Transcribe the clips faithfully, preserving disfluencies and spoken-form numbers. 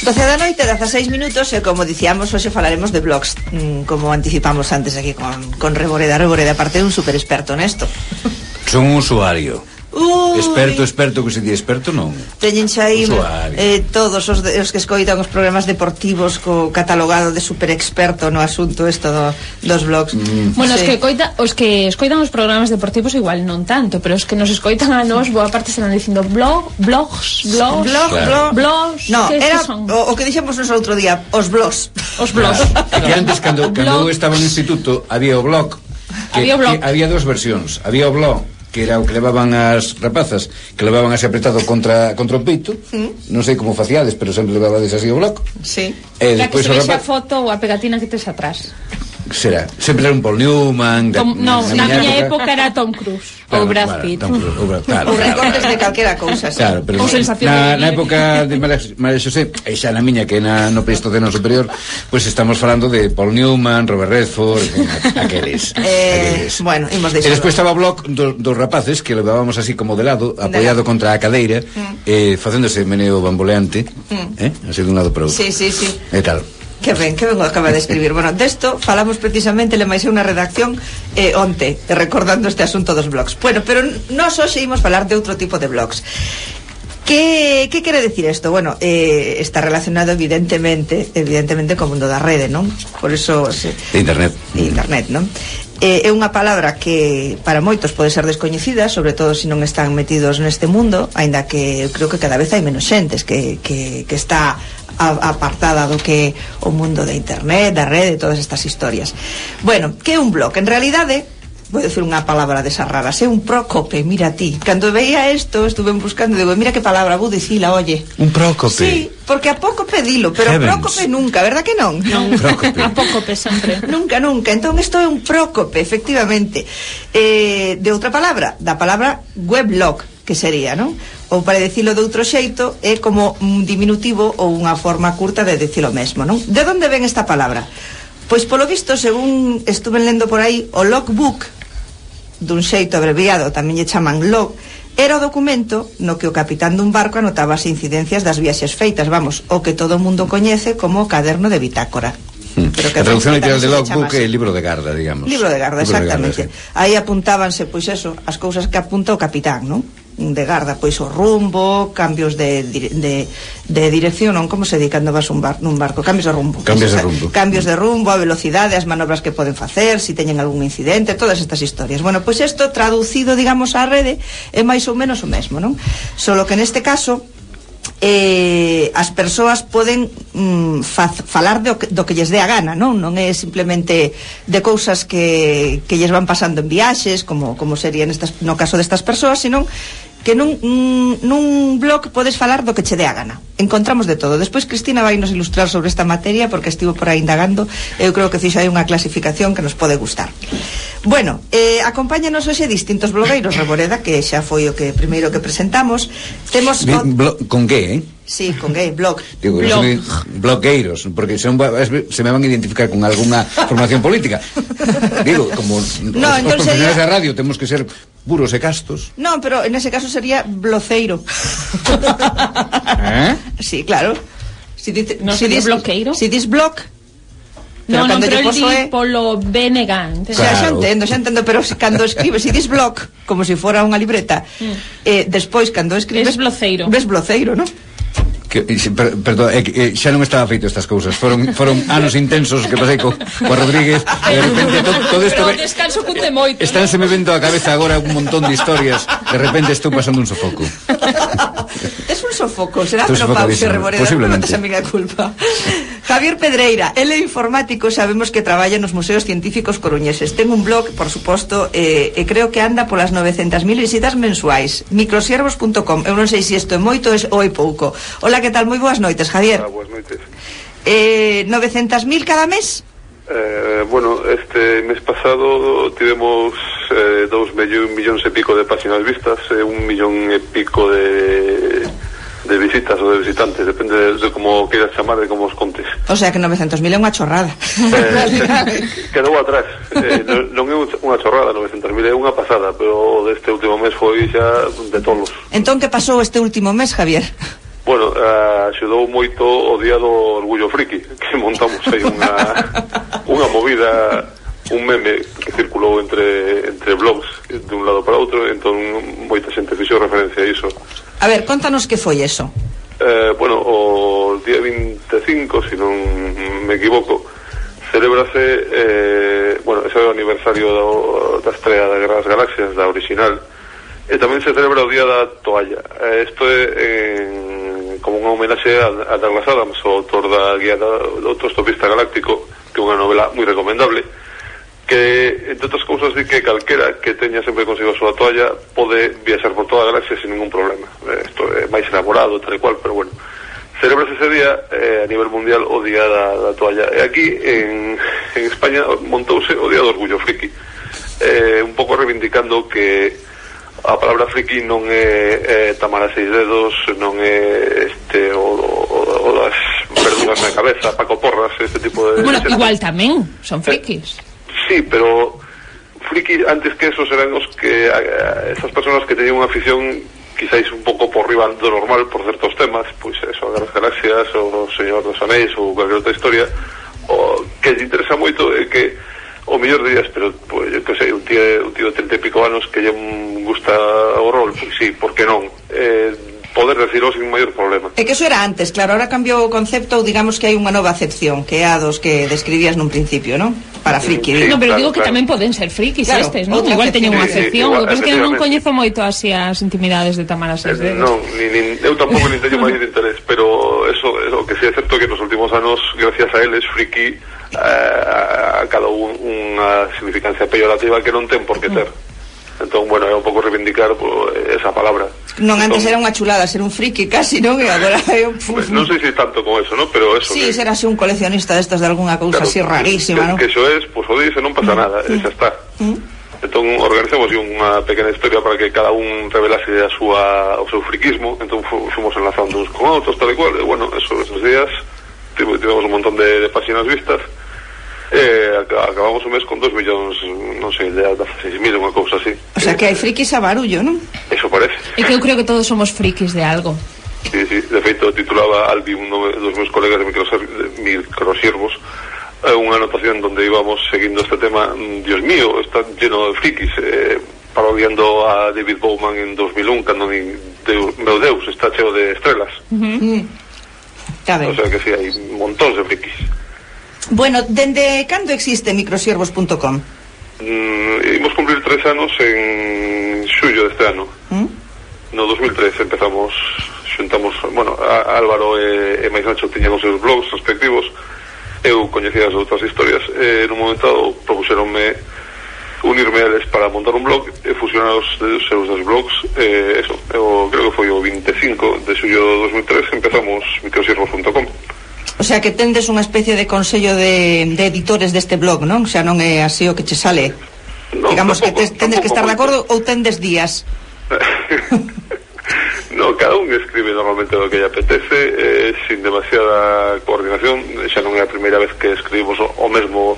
doce da noite, dezaseis minutos, e como dicíamos, hoxe falaremos de blogs, como anticipamos antes aquí con, con Reboreda. Reboreda, aparte de un super experto nesto. Son un usuario. Uy. Experto, experto, que se di experto non. Teñen xa aí eh, todos os, de, os que escoitan os programas deportivos co catalogado de super experto no asunto esto do, dos blogs. Mm. Bueno, sí. os que coita, os que escoitan os programas deportivos igual non tanto, pero os que nos escoitan a nós boa parte están dicindo blog, blogs, blogs, blog, claro. blog, blogs. No, era son? o, o que dixemos nos outro día, os blogs. Os blogs. Claro. Que antes cando cando eu estaba no instituto había o blog. Que, había o blog. Que había dos versións. Había o blog que era o que levaban as rapazas, que levaban así apretado contra contra o peito, mm. non sei como faciades, pero sempre levabades así o bloco. Sí. E la que se vexe rapaz... a foto ou a pegatina que tes atrás. Será, sempre era un Paul Newman. Tom, da, no, na, na miña época, época era Tom Cruise claro, ou Brad claro, Pitt. Tom Cruise, ou Brad, claro, ou claro, recortes claro, de calquera cousa, sí. Claro, pero ou sensación na, de na época de María Xosé, e xa na miña que na no Pleistoceno superior, pois pues estamos falando de Paul Newman, Robert Redford, aqueles. Eh, aqueles. Bueno, imos deixar. E despois estaba o blog dos do rapaces que levábamos así como de lado, apoiado de contra a cadeira, mm. eh, facéndose meneo bamboleante, mm. eh, así dun lado para outro. Sí, sí, sí. E tal. Que ben, que ben o acaba de escribir. Bueno, desto falamos precisamente, le máis unha redacción eh, onte, recordando este asunto dos blogs. Bueno, pero nós hoxe imos falar de outro tipo de blogs. Que, que quere decir isto? Bueno, eh, está relacionado evidentemente evidentemente co mundo da rede, non? Por eso... Se, de internet. De internet, non? Eh, é unha palabra que para moitos pode ser descoñecida, sobre todo se non están metidos neste mundo, aínda que creo que cada vez hai menos xentes que, que, que está apartada do que o mundo de internet, da rede, todas estas historias. Bueno, que é un blog? En realidade, vou dicir unha palabra desas raras, é un prócope, mira ti. Cando veía isto, estuve buscando, digo, mira que palabra, vou dicila, oye. Un prócope. Sí, porque a pouco pedilo, pero Heavens. Prócope nunca, verdad que non? Non, a pócope sempre. Nunca, nunca. Entón, isto é un prócope, efectivamente. Eh, de outra palabra, da palabra weblog, que sería, non? Ou para dicilo de outro xeito, é como un diminutivo ou unha forma curta de dicilo mesmo, non? De onde ven esta palabra? Pois polo visto, según estuve lendo por aí, o logbook, dun xeito abreviado, tamén lle chaman log, era o documento no que o capitán dun barco anotaba as incidencias das viaxes feitas, vamos, o que todo o mundo coñece como o caderno de bitácora. Hmm. Pero que a traducción literal de logbook é libro de garda, digamos. Libro de garda, libro exactamente. De garda, sí. Aí apuntábanse, pois eso, as cousas que apunta o capitán, non? De garda, pois o rumbo, cambios de, de, de dirección, non? Como se di cando vas un bar, nun barco? Cambios de rumbo. Cambios de rumbo. Cambios de rumbo, a velocidade, as manobras que poden facer, si teñen algún incidente, todas estas historias. Bueno, pois isto traducido, digamos, á rede é máis ou menos o mesmo, non? Solo que neste caso eh, as persoas poden mm, faz, falar do que, do que lles dé a gana, non? Non é simplemente de cousas que, que lles van pasando en viaxes, como, como sería nestas, no caso destas persoas, senón que nun, nun blog podes falar do que che dé a gana. Encontramos de todo. Despois Cristina vai nos ilustrar sobre esta materia porque estivo por aí indagando. Eu creo que fixo aí unha clasificación que nos pode gustar. Bueno, eh, acompáñanos hoxe distintos blogueiros, Reboreda, que xa foi o que primeiro que presentamos. Temos o... Blo- con que, eh? Sí, con gay, blog. Digo, blog. Blogueiros, porque se, se me van a identificar con alguna formación política. Digo, como no, os, os profesionales sería... da radio temos que ser puros e castos. No, pero en ese caso sería bloceiro. ¿Eh? Sí, claro. Si dice, no si sería dis, bloqueiro. Si dis blog. Pero no, no, pero el di é... polo B N G, claro. Xa, xa entendo, xa entendo, pero cando escribes, si dis blog, como se si fora unha libreta, mm. eh, despois, cando escribes... Es bloceiro. Ves bloceiro, non? Que, per, perdón, eh, eh, xa non estaba feito estas cousas. Foron foron anos intensos que pasei co, co Rodríguez e de repente to, todo isto pero descanso cunte moito. Estánse me vendo a cabeza agora un montón de historias. De repente estou pasando un sofoco. Es un sofoco, será menopausia, Reboreda, non tes a miña culpa. Javier Pedreira, ele é informático, sabemos que traballa nos museos científicos coruñeses. Ten un blog, por suposto, e eh, eh, creo que anda polas novecentas mil visitas mensuais. microsiervos punto com. Eu non sei se isto é moito ou é pouco. Hola, que tal? Moi boas noites, Javier. Hola, boas noites. Eh, novecentas mil cada mes? Eh, bueno, este mes pasado tivemos eh, dous millóns e pico de páxinas vistas e eh, un millón e pico de, de visitas ou de visitantes, depende de, de como queiras chamar, de como os contes. O sea que novecentos mil é unha chorrada. Eh, quedou atrás. Eh, non é unha chorrada, novecentos mil é unha pasada, pero deste último mes foi xa de tolos. Entón, que pasou este último mes, Javier? Bueno, uh, axudou moito o día do Orgullo Friki, que montamos aí unha unha movida, un meme que circulou entre entre blogs de un lado para outro, entón moita xente fixo referencia a iso. A ver, contanos que foi eso. Eh, bueno, o día vinte e cinco, se non me equivoco, celebrase eh, bueno, ese é o aniversario do, da estrela da Guerra das Galaxias, da original, e tamén se celebra o día da toalla. Eh, isto é en, como unha homenaxe a, a Douglas Adams, o autor da guía do autostopista galáctico, que é unha novela moi recomendable, que, entre outras cousas, di que calquera que teña sempre consigo a súa toalla pode viaxar por toda a galaxia sin ningún problema. Isto é máis elaborado, tal e cual, pero bueno, celebrase ese día eh, a nivel mundial o día da, da toalla. E aquí en, en España montouse o día do Orgullo Friki, eh, un pouco reivindicando que a palabra friki non é eh, Tamara Seis Dedos, non é este o, o, o das verdugas na cabeza, Paco Porras, este tipo de... Bueno, igual tamén son frikis. Eh, sí, pero friki antes que esos eran os que eh, esas personas que teñen unha afición quizáis un pouco por riba do normal por certos temas, pois eso, a Guerras Galaxias ou o Señor dos Anéis ou calquer outra historia, o que lle interesa moito é que o mellor dirías, pero pois, eu que sei, un tío, un tío de treinta e pico anos que lle gusta o rol, pois sí, por que non? Eh, poder decirlo sin maior problema. É que eso era antes, claro, ahora cambiou o concepto, ou digamos que hai unha nova acepción, que é a dos que describías nun principio, non? Para friki. Sí, no, pero claro, digo que claro. tamén poden ser frikis Claro, estes, non? outra Igual teñen unha acepción. acepción, o que Sí, pasa é que eu non efectivamente. coñezo moito así as intimidades de Tamara Seis Eh, Dedos. non, ni, ni, eu tampouco nin teño máis de interés, pero eso, eso que sí é certo que nos últimos anos, gracias a eles, friki eh, acadou un, unha significancia peyorativa que non ten por que ter. Entón, bueno, é un pouco reivindicar pues, esa palabra. Non, antes entón, era unha chulada ser un friki casi, non? E agora é un... pues, non sei se tanto como eso, ¿no? Pero eso... Sí, que, ser así un coleccionista destos de alguna cousa claro, así rarísima, que, non? que eso es, pues o dice, non pasa nada, e xa está. Mm. Entón, organizamos unha pequena historia para que cada un revelase a súa, o seu friquismo, entón fomos enlazando uns con outros, tal e cual, e bueno, eso, esos días tivemos un montón de, de páxinas vistas, eh, acabamos o mes con dos millóns, non sei, de seis mil, unha cousa así. O sea que hai frikis a barullo, non? Eso parece. É que eu creo que todos somos frikis de algo. Sí, sí, de feito titulaba Albi, un dos meus colegas de microsiervos, unha anotación donde íbamos seguindo este tema. Dios mío, está lleno de frikis, eh, parodiando a David Bowman en dos mil un, cando ni Deus, meu Deus, está cheo de estrelas. Uh-huh. Está ben. O sea que sí, hai montóns de frikis. Bueno, dende cando existe microsiervos punto com? Mm, imos cumplir tres anos en xullo deste ano. ¿Mm? No dos mil tres empezamos, xuntamos, bueno, a, a Álvaro e, e máis Nacho tiñan os seus blogs respectivos, eu coñecía as outras historias, e nun momento dado propuxeronme unirme a eles para montar un blog e fusionar os, os seus dos blogs, e eso, eu creo que foi o vinte e cinco de xullo de dos mil tres empezamos microsiervos punto com. O sea que tendes unha especie de consello de, de editores deste blog, non? O sea, non é así o que che sale. No, Digamos tampouco, que tes, tendes que estar de acordo ou tendes días. No, cada un escribe normalmente lo que lle apetece, eh, sin demasiada coordinación. Xa non é a primeira vez que escribimos o, o mesmo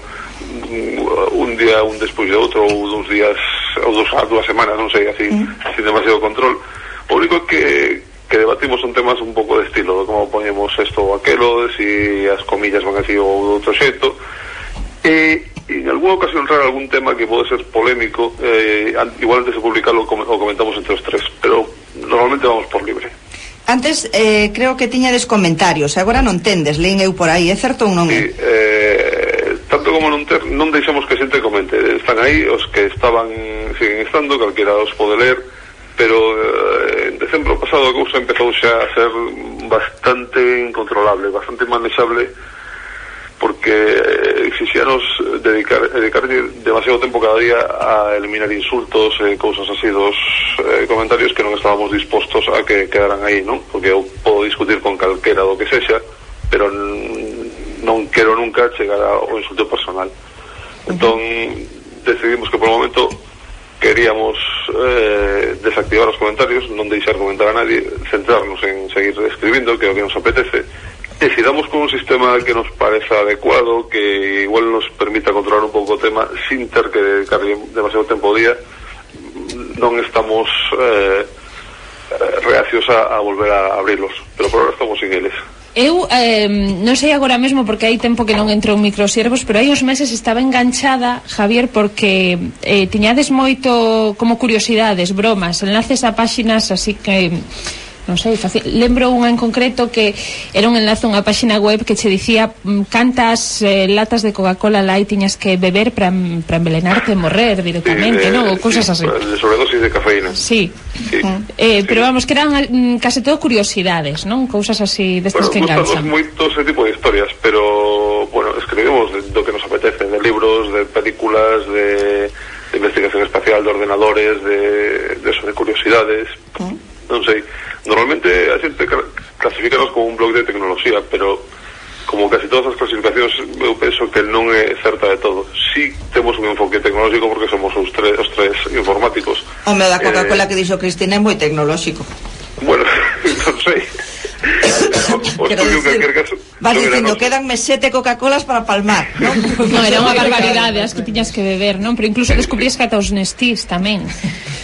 un día un despois de outro, ou dous días ou dos, dúas semanas, non sei, así, mm. sin demasiado control. O único que que debatimos son temas un pouco de estilo, de como poñemos isto ou aquelo, de si as comillas van así ou de outro xeito, e en alguna ocasión rara algún tema que pode ser polémico, eh, igual antes de publicarlo o comentamos entre os tres, pero normalmente vamos por libre. Antes eh, creo que tiñades comentarios, agora non tendes, leín eu por aí, é certo ou non é? Sí, eh, tanto como non ter, non deixamos que xente comente, están aí os que estaban, siguen estando, calquera os pode ler, pero eh, en decembro pasado a cousa empezou xa a ser bastante incontrolable, bastante manexable, porque eh, exixíanos dedicar, dedicar demasiado tempo cada día a eliminar insultos e eh, cousas así dos eh, comentarios que non estábamos dispostos a que quedaran aí, non? Porque eu podo discutir con calquera do que sexa, pero non quero nunca chegar ao insulto personal. Entón decidimos que por o momento queríamos eh, desactivar os comentarios, non deixar comentar a nadie, centrarnos en seguir escribindo, que é o que nos apetece, e se damos con un sistema que nos pareza adecuado, que igual nos permita controlar un pouco o tema sin ter que dedicar demasiado tempo ao día, non estamos eh, reacios a, a volver a abrirlos, pero por ahora estamos sin eles. Eu eh, non sei agora mesmo porque hai tempo que non entro en microservos, pero hai uns meses estaba enganchada, Javier, porque eh, tiñades moito como curiosidades, bromas, enlaces a páxinas así que non sei, fácil. Lembro unha en concreto que era un enlace a unha páxina web que che dicía mm, cantas eh, latas de Coca-Cola Light tiñas que beber para pa envelenarte e morrer directamente, sí, non? Ou cousas sí, así. De sobredosis de cafeína. Sí. Sí. Eh, sí. Pero vamos, que eran mm, case todo curiosidades, non? Cousas así destas bueno, que enganchan. Bueno, moito ese tipo de historias, pero, bueno, escribimos do que nos apetece, de libros, de películas, de, de investigación espacial, de ordenadores, de, de eso, de curiosidades, ¿Mm? Non sei. Normalmente a xente clasificanos como un blog de tecnoloxía, pero como casi todas as clasificacións eu penso que non é certa de todo. Si temos un enfoque tecnolóxico porque somos os tres, os tres informáticos. O meu da Coca-Cola eh, que dixo Cristina é moi tecnolóxico. Bueno, non sei. Os Quero dicir, que caso, vas dicindo, quedanme sete Coca-Colas para palmar, non? No, era unha barbaridade as que tiñas que beber, non? Pero incluso descubrías que ata os Nestís tamén.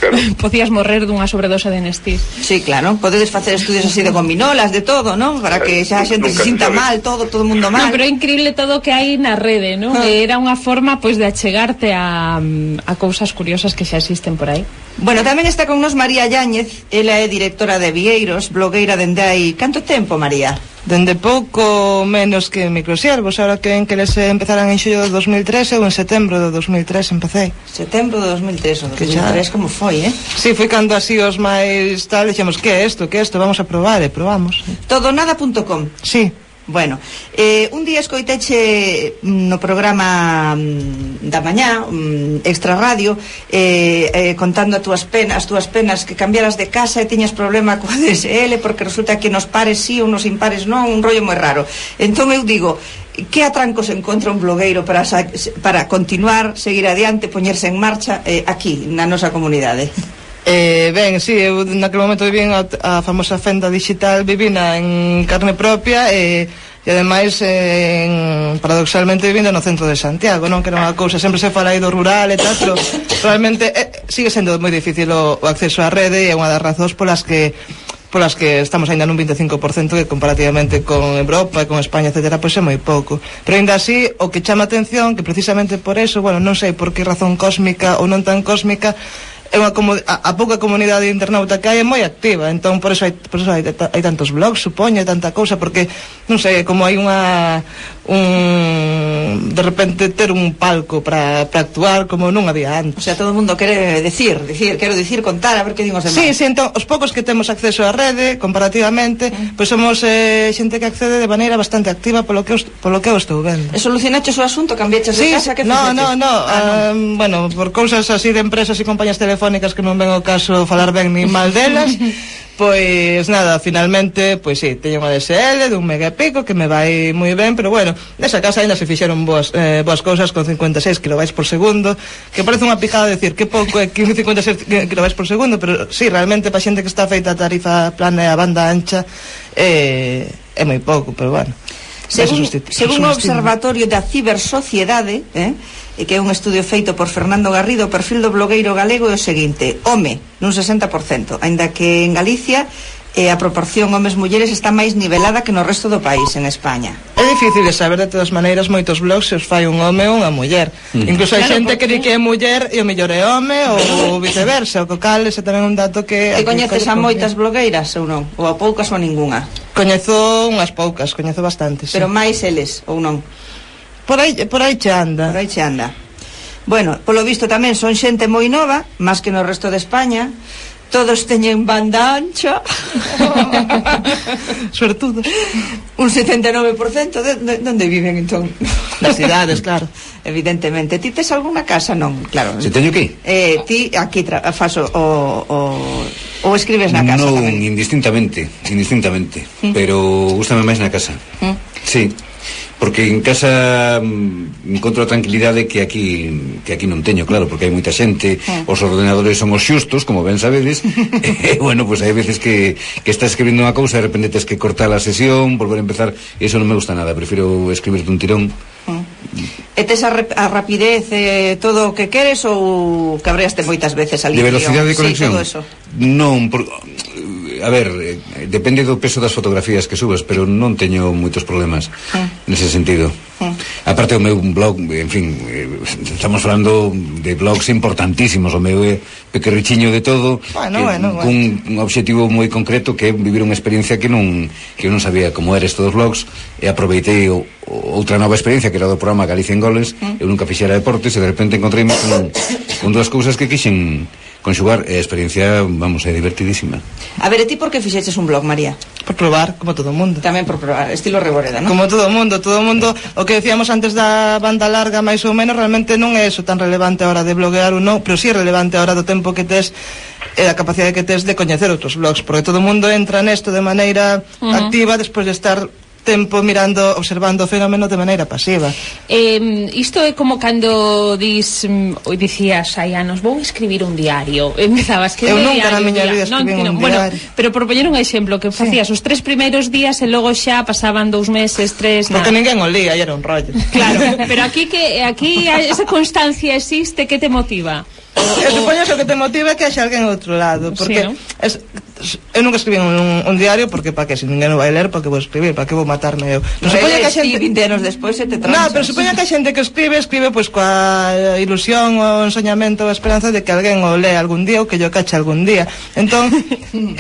Claro. Podías morrer dunha sobredose de Nestís. Sí, claro, podedes facer estudios así de gominolas, de todo, non? Para que xa a xente se sinta mal, todo, todo o mundo mal. No, pero é increíble todo o que hai na rede, non? Ah. Era unha forma, pois, de achegarte a, a cousas curiosas que xa existen por aí. Bueno, tamén está con nos María Yáñez, ela é directora de Vieiros, blogueira dende hai... Canto tempo, María? Dende pouco menos que microservos, ahora que en que les empezaran en xullo de dos mil tres, eu en setembro de dos mil tres empecé. Setembro de dos mil tres, o dos mil tres, como foi, eh? Sí, foi cando así os máis tal, dixemos, que é isto, que é isto, vamos a probar, e probamos. Todonada punto com. Sí. Bueno, eh, un día escoiteche no programa mm, da mañá, mm, Extra Radio, eh, eh, contando as túas penas, as túas penas que cambiaras de casa e tiñas problema coa D S L porque resulta que nos pares sí ou nos impares non, un rollo moi raro. Entón eu digo, que atrancos encontra un blogueiro para, para continuar, seguir adiante, poñerse en marcha eh, aquí, na nosa comunidade? Eh, ben, sí, eu naquele momento vivín a, a famosa fenda digital, vivina en carne propia e, e ademais eh, en, paradoxalmente vivindo no centro de Santiago, non? Que era unha cousa, sempre se fala aí do rural e tal, pero realmente eh, sigue sendo moi difícil o, o acceso á rede e é unha das razóns polas que polas que estamos ainda nun vinte e cinco por cento que comparativamente con Europa e con España, etcétera, pois é moi pouco. Pero ainda así, o que chama atención, que precisamente por eso, bueno, non sei por que razón cósmica ou non tan cósmica, é unha a, a pouca comunidade internauta que hai é moi activa, entón por eso hai, por eso hai, hai tantos blogs, supoño, tanta cousa, porque non sei, como hai unha un de repente ter un palco para actuar como non había antes. O sea, todo o mundo quere decir, decir, quero decir, contar, a ver que dimos de Sí, sí, entón, os poucos que temos acceso á rede, comparativamente, mm. pois somos eh, xente que accede de maneira bastante activa polo que, os, polo que eu estou vendo. E solucionaches o asunto, cambiaches sí, de casa, que no, no, no, ah, uh, no, bueno, por cousas así de empresas e compañías telefónicas que non ven o caso falar ben ni mal delas, pois nada, finalmente, pois sí, teño unha D S L de un mega e pico que me vai moi ben, pero bueno, nesa casa ainda se fixeron boas, eh, boas cousas con cincuenta e seis kilobytes por segundo, que parece unha pijada decir que pouco é cincuenta e seis kilobytes por segundo, pero sí, realmente pa xente que está feita a tarifa plana e a banda ancha é, é moi pouco, pero bueno. Según, según o Observatorio da Cibersociedade, eh, que é un estudio feito por Fernando Garrido, o perfil do blogueiro galego é o seguinte: home, nun sesenta por cento, aínda que en Galicia eh, a proporción homes-mulleres está máis nivelada que no resto do país, en España. É difícil de saber, de todas maneiras, moitos blogs se os fai un home ou unha muller. Mm. Incluso hai claro, xente porque... que di que é muller e o mellor é home ou viceversa, o que cal, ese tamén é un dato que... E coñeces a moitas blogueiras ou non? Ou a poucas ou a ninguna? Coñezo unhas poucas, coñezo bastantes. Pero sí. Máis eles ou non? Por aí, por aí che anda. Por aí che anda. Bueno, polo visto tamén son xente moi nova, máis que no resto de España. Todos teñen banda ancha. Suertudos. Un setenta e nove por cento de, de, onde viven entón? Nas cidades, claro. Evidentemente. Ti tes algunha casa? Non, claro. Se teño aquí? Eh, ti aquí tra faso o, o, o escribes na casa non, tamén? Non, indistintamente, indistintamente, mm. pero gústame máis na casa. Mm. Sí. Porque en casa mm, encontro a tranquilidade que aquí que aquí non teño, claro, porque hai moita xente, eh. os ordenadores son os xustos, como ben sabedes, e, bueno, pues hai veces que, que estás escribindo unha cousa e de repente tens que cortar a sesión, volver a empezar, e iso non me gusta nada, prefiro escribir dun tirón. Eh. E tes a, a rapidez e eh, todo o que queres ou cabreaste moitas veces ali? De velocidade de conexión? Sí, todo eso. Non, por... a ver, eh, depende do peso das fotografías que subas, pero non teño moitos problemas mm. nese sentido. Mm. Aparte o meu blog, en fin, eh, estamos falando de blogs importantísimos, o meu é pequerrichiño de todo, bueno, que, bueno, cun bueno. un obxectivo moi concreto que é vivir unha experiencia que non que eu non sabía como era isto dos blogs, e aproveitei o, o, outra nova experiencia que era do programa Galicia en Goles. mm. Eu nunca fixera deportes e de repente encontrei con, con dúas cousas que quixen conxugar, e a experiencia, vamos, é divertidísima. A ver, e ti por que fixeches un blog, María? Por probar, como todo o mundo. Tamén por probar, estilo Reboreda, non? Como todo o mundo, todo o mundo, o que decíamos antes da banda larga, máis ou menos, realmente non é eso tan relevante a hora de bloguear ou non, pero sí é relevante a hora do tempo que tes e a capacidade que tes de coñecer outros blogs, porque todo o mundo entra nesto de maneira uh-huh. activa despois de estar tempo mirando, observando o fenómeno de maneira pasiva. Eh, isto é como cando dis, mm, dicías hai anos, vou escribir un diario. Empezabas que eu nunca na miña vida escribí un bueno, diario. Pero por poñer un exemplo, que facías sí. os tres primeiros días e logo xa pasaban dous meses, tres, porque nada. ninguén o lía, e era un rollo. Claro, pero aquí que aquí esa constancia existe, que te motiva? Eu supoño que o que te motiva é que haxa alguén ao outro lado, porque sí, ¿no? es, eu nunca escribí un, un diario, porque para que se ninguén o vai ler, porque vou escribir, para que vou matarme eu. Pero supoño que a xente vinte anos despois se te tranchas. No, pero supoño que a xente que escribe, escribe pois coa ilusión, o ensoñamento, a esperanza de que alguén o lea algún día ou que yo cache algún día. Entón,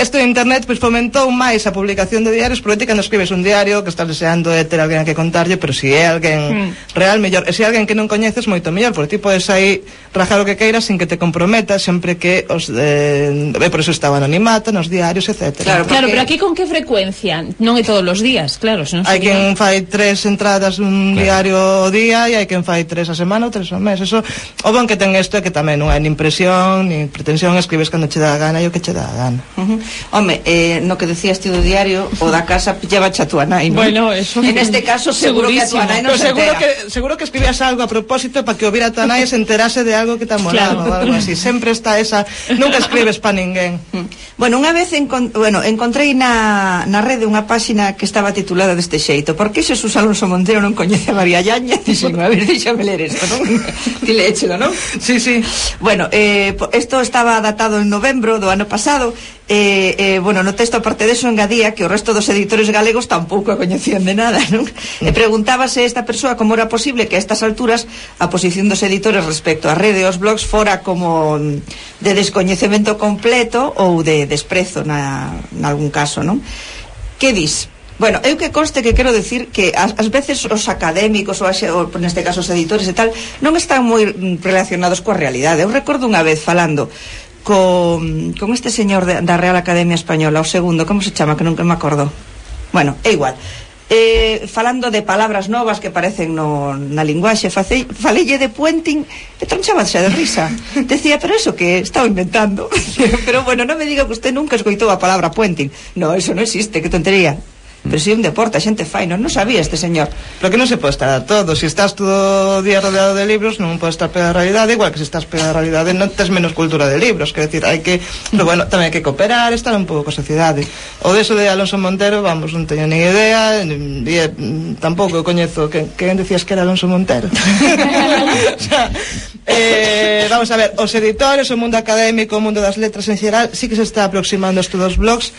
isto de internet pois fomentou máis a publicación de diarios, porque ti cando escribes un diario que estás deseando de ter alguén a que contarlle, pero se si é alguén mm. real, mellor. E se é alguén que non coñeces, moito mellor, porque ti podes aí rajar o que queiras sin que te comprometas, sempre que os eh, por eso estaba anonimato nos diarios, etcétera. Claro, claro, pero aquí con que frecuencia? Non é todos os días, claro, senón hai sería... quen fai tres entradas un claro. diario ao día e hai quen fai tres a semana ou tres ao mes. Eso, o bon que ten isto é que tamén non hai nin presión, nin pretensión, escribes cando che dá a gana e o que che dá a gana. Uh-huh. Home, eh, no que decías ti do diario, o da casa lleva a túa nai, ¿no? Bueno, eso... En este caso seguro que a túa nai non se seguro entera. que seguro que escribías algo a propósito para que o viera a túa nai e se enterase de algo que te molaba, claro. ou algo así. Sempre está esa, nunca escribes para ninguén. Bueno, unha vez encont bueno, encontrei na, na rede unha páxina que estaba titulada deste xeito: por que Xesús Alonso Montero non coñece a María Llañez? Dixen, a ver, déxame ler isto, non? Ti leéchelo, non? Sí, sí. Bueno, eh, isto estaba datado en novembro do ano pasado. Eh, eh, bueno, no texto, aparte deso, engadía que o resto dos editores galegos tampouco a coñecían de nada, non? E preguntábase esta persoa como era posible que a estas alturas a posición dos editores respecto á rede e aos blogs fora como de descoñecemento completo ou de desprezo na, na algún caso, non? Que dis? Bueno, eu que conste que quero decir que ás, ás veces os académicos ou, as, ou neste caso os editores e tal non están moi relacionados coa realidade. Eu recordo unha vez falando con, con este señor de, da Real Academia Española, o segundo, como se chama, que nunca me acordo. Bueno, é igual. Eh, falando de palabras novas que aparecen no, na linguaxe, facei, falelle de puenting e tronchábase de risa. Decía, pero eso que estaba inventando. Pero bueno, non me diga que usted nunca escoitou a palabra puenting. No, eso non existe, que tontería. Pero si un deporte, a xente fai, non, non sabía este señor. Pero que non se pode estar a todo. Se si estás todo o día rodeado de libros, non podes estar pegado a realidade. Igual que se estás pegado a realidade, non tes menos cultura de libros. Quer decir, hai que, pero bueno, tamén hai que cooperar, estar un pouco coa sociedade. O deso de Alonso Montero, vamos, non teño nin idea, e eh, tampouco eu coñezo que, que decías que era Alonso Montero. O sea, eh, vamos a ver, os editores, o mundo académico, o mundo das letras en xeral, sí que se está aproximando a estes dos blogs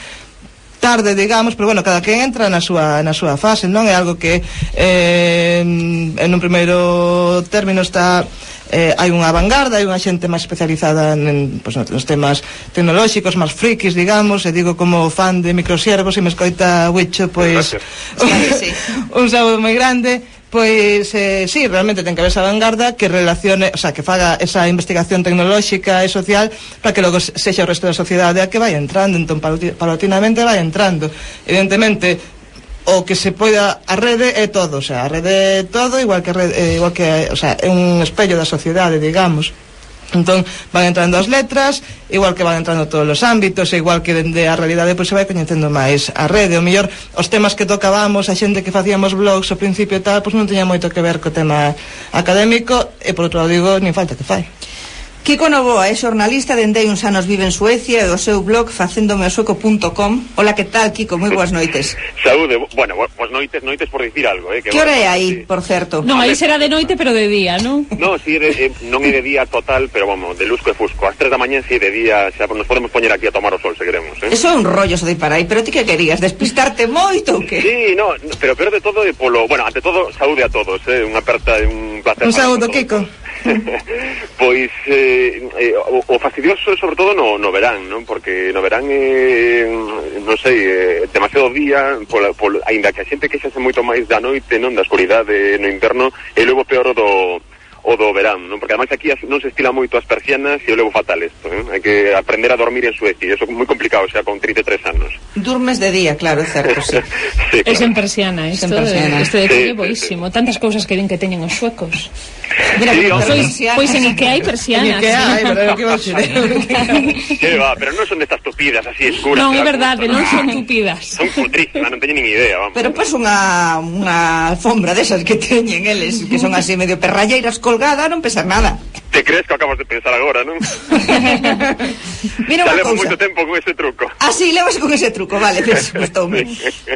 tarde, digamos, pero bueno, cada quen entra na súa, na súa fase, non é algo que eh, en un primeiro término está eh, hai unha vanguarda, hai unha xente máis especializada en, pues, nos temas tecnolóxicos, máis frikis, digamos, e digo como fan de microsiervos, e me escoita Huicho, pois un, un saúdo moi grande. Pois, eh, sí, realmente ten que haber esa vanguarda que relacione, o sea, que faga esa investigación tecnolóxica e social para que logo sexa o resto da sociedade a que vai entrando, entón paulatinamente vai entrando. Evidentemente, o que se poida, a rede é todo, o sea, a rede é todo, igual que, rede, eh, igual que, o sea, é un espello da sociedade, digamos. Entón van entrando as letras, igual que van entrando todos os ámbitos, e igual que dende a realidade pois se vai coñecendo máis a rede. O mellor os temas que tocábamos, a xente que facíamos blogs ao principio e tal, pois non teña moito que ver co tema académico, e por outro lado digo, nin falta que fai. Kiko Novoa é xornalista dende hai uns anos vive en Suecia e o seu blog facéndome o sueco punto com. Hola, que tal, Kiko? Moi boas noites. Saúde, bueno, boas noites, noites por dicir algo, eh? Que, que hora é aí, por certo? Non, aí será de noite, pero de día, non? Non, si, eh, non é de día total, pero vamos, de lusco e fusco. As tres da mañá, si, de día, xa nos podemos poñer aquí a tomar o sol, se queremos, eh? Eso é un rollo, so de para aí, pero ti que querías, despistarte moito ou que? Sí, no, pero peor de todo é polo... Bueno, ante todo, saúde a todos, eh? Unha aperta, un placer. Un saúdo, Kiko. Pois eh, eh, o, o fastidioso sobre todo no, no verán, non? Porque no verán eh, non sei, eh, demasiado día pola, pola, ainda que a xente queixase moito máis da noite, non? Da escuridade no inverno, e logo peor do o do verán, non? Porque ademais aquí non se estila moito as persianas e o levo fatal isto, eh? Hai que aprender a dormir en Suecia, eso é moi complicado, xa con trinta e tres anos. Durmes de día, claro, é certo, sí. Sí, claro. É sen É persiana, isto persiana. de, isto de Sí, sí, boísimo. Tantas cousas que din que teñen os suecos. Mira, Sí, que hombre. Pois, persianas. pois en Ikea hai persianas. Que hai, pero é o que vas a Que va, pero non son destas tupidas así escuras. Non, que é da verdade, gusto, non son tupidas. Son putrísimas, non teñen nin idea, vamos. Pero pois unha, unha alfombra desas que teñen eles, que son así medio perralleiras colgada, non pesa nada. Te crees que acabas de pensar agora, non? Mira Xa unha levo cousa. moito tempo con ese truco. Ah, sí, levas con ese truco, vale, ves, gustoume.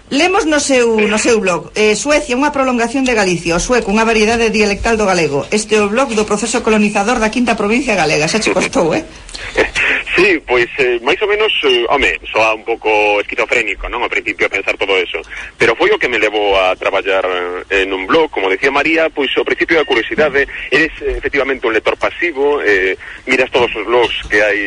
Lemos no seu, no seu blog eh, Suecia, unha prolongación de Galicia, o sueco, unha variedade dialectal do galego. Este é o blog do proceso colonizador da quinta provincia galega. Xa che costou, eh? Sí, pois eh, máis ou menos, eh, home, soa un pouco esquizofrénico, non? Ao principio a pensar todo eso. Pero foi o que me levou a traballar eh, en un blog, como decía María, pois ao principio da curiosidade, eres eh, efectivamente un lector pasivo, eh, miras todos os blogs que hai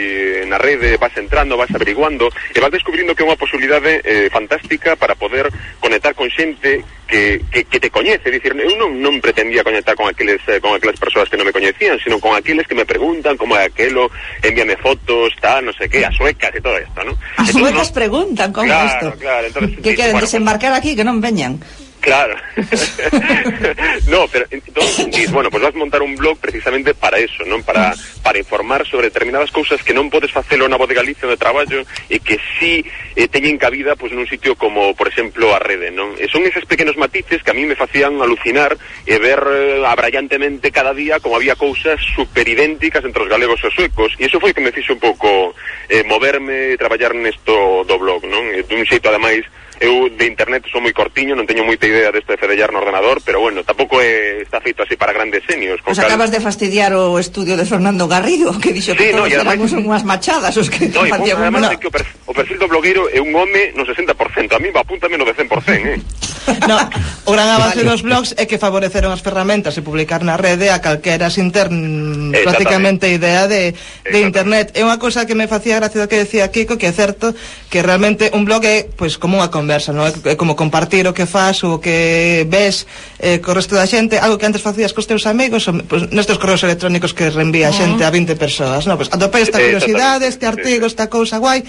na rede, vas entrando, vas averiguando, e vas descubrindo que é unha posibilidade eh, fantástica para poder conectar con xente que, que, que te coñece. É dicir, eu non, non pretendía conectar con aqueles eh, con aquelas persoas que non me coñecían, sino con aqueles que me preguntan como é aquelo, envíame fotos, tal, no sé qué, as suecas e todo esto, ¿no? As Entonces, suecas no, preguntan como claro, isto. Claro, entonces, que queren bueno, desembarcar aquí, que non veñan. Claro. No, pero entonces, dices, bueno, pues vas a montar un blog precisamente para eso, ¿no? Para, para informar sobre determinadas cousas que non podes facelo na Voz de Galicia de traballo e que sí eh, teñen cabida pues nun sitio como, por exemplo, a rede, non? E son eses pequenos matices que a mí me facían alucinar e ver eh, abrallantemente cada día como había cousas superidénticas entre os galegos e os suecos, e iso foi que me fixo un pouco eh, moverme e traballar nesto do blog, non? E dun xeito, ademais, eu de internet son moi cortiño, non teño moita idea deste de fedellar no ordenador, pero bueno, tampouco é, está feito así para grandes senios. Pois pues cal... acabas de fastidiar o estudio de Fernando Garrido, que dixo que sí, todos no, éramos además... unhas machadas os que no, facíamos. Además, no. que o, perfil, o perfil do blogueiro é un home no sesenta por cento, a mí va apunta menos de cen por cento, eh? No, o gran avance vale. dos blogs é que favoreceron as ferramentas e publicar na rede a calquera sin ter prácticamente idea de, de internet. É unha cousa que me facía gracia do que decía Kiko, que é certo que realmente un blog é pois como unha conversa, non? É como compartir o que faz, o que ves eh, co resto da xente, algo que antes facías cos teus amigos, o, pues, nestes correos electrónicos que reenvía a xente a vinte persoas, non? Pues atopei esta curiosidade, este artigo, esta cousa guai,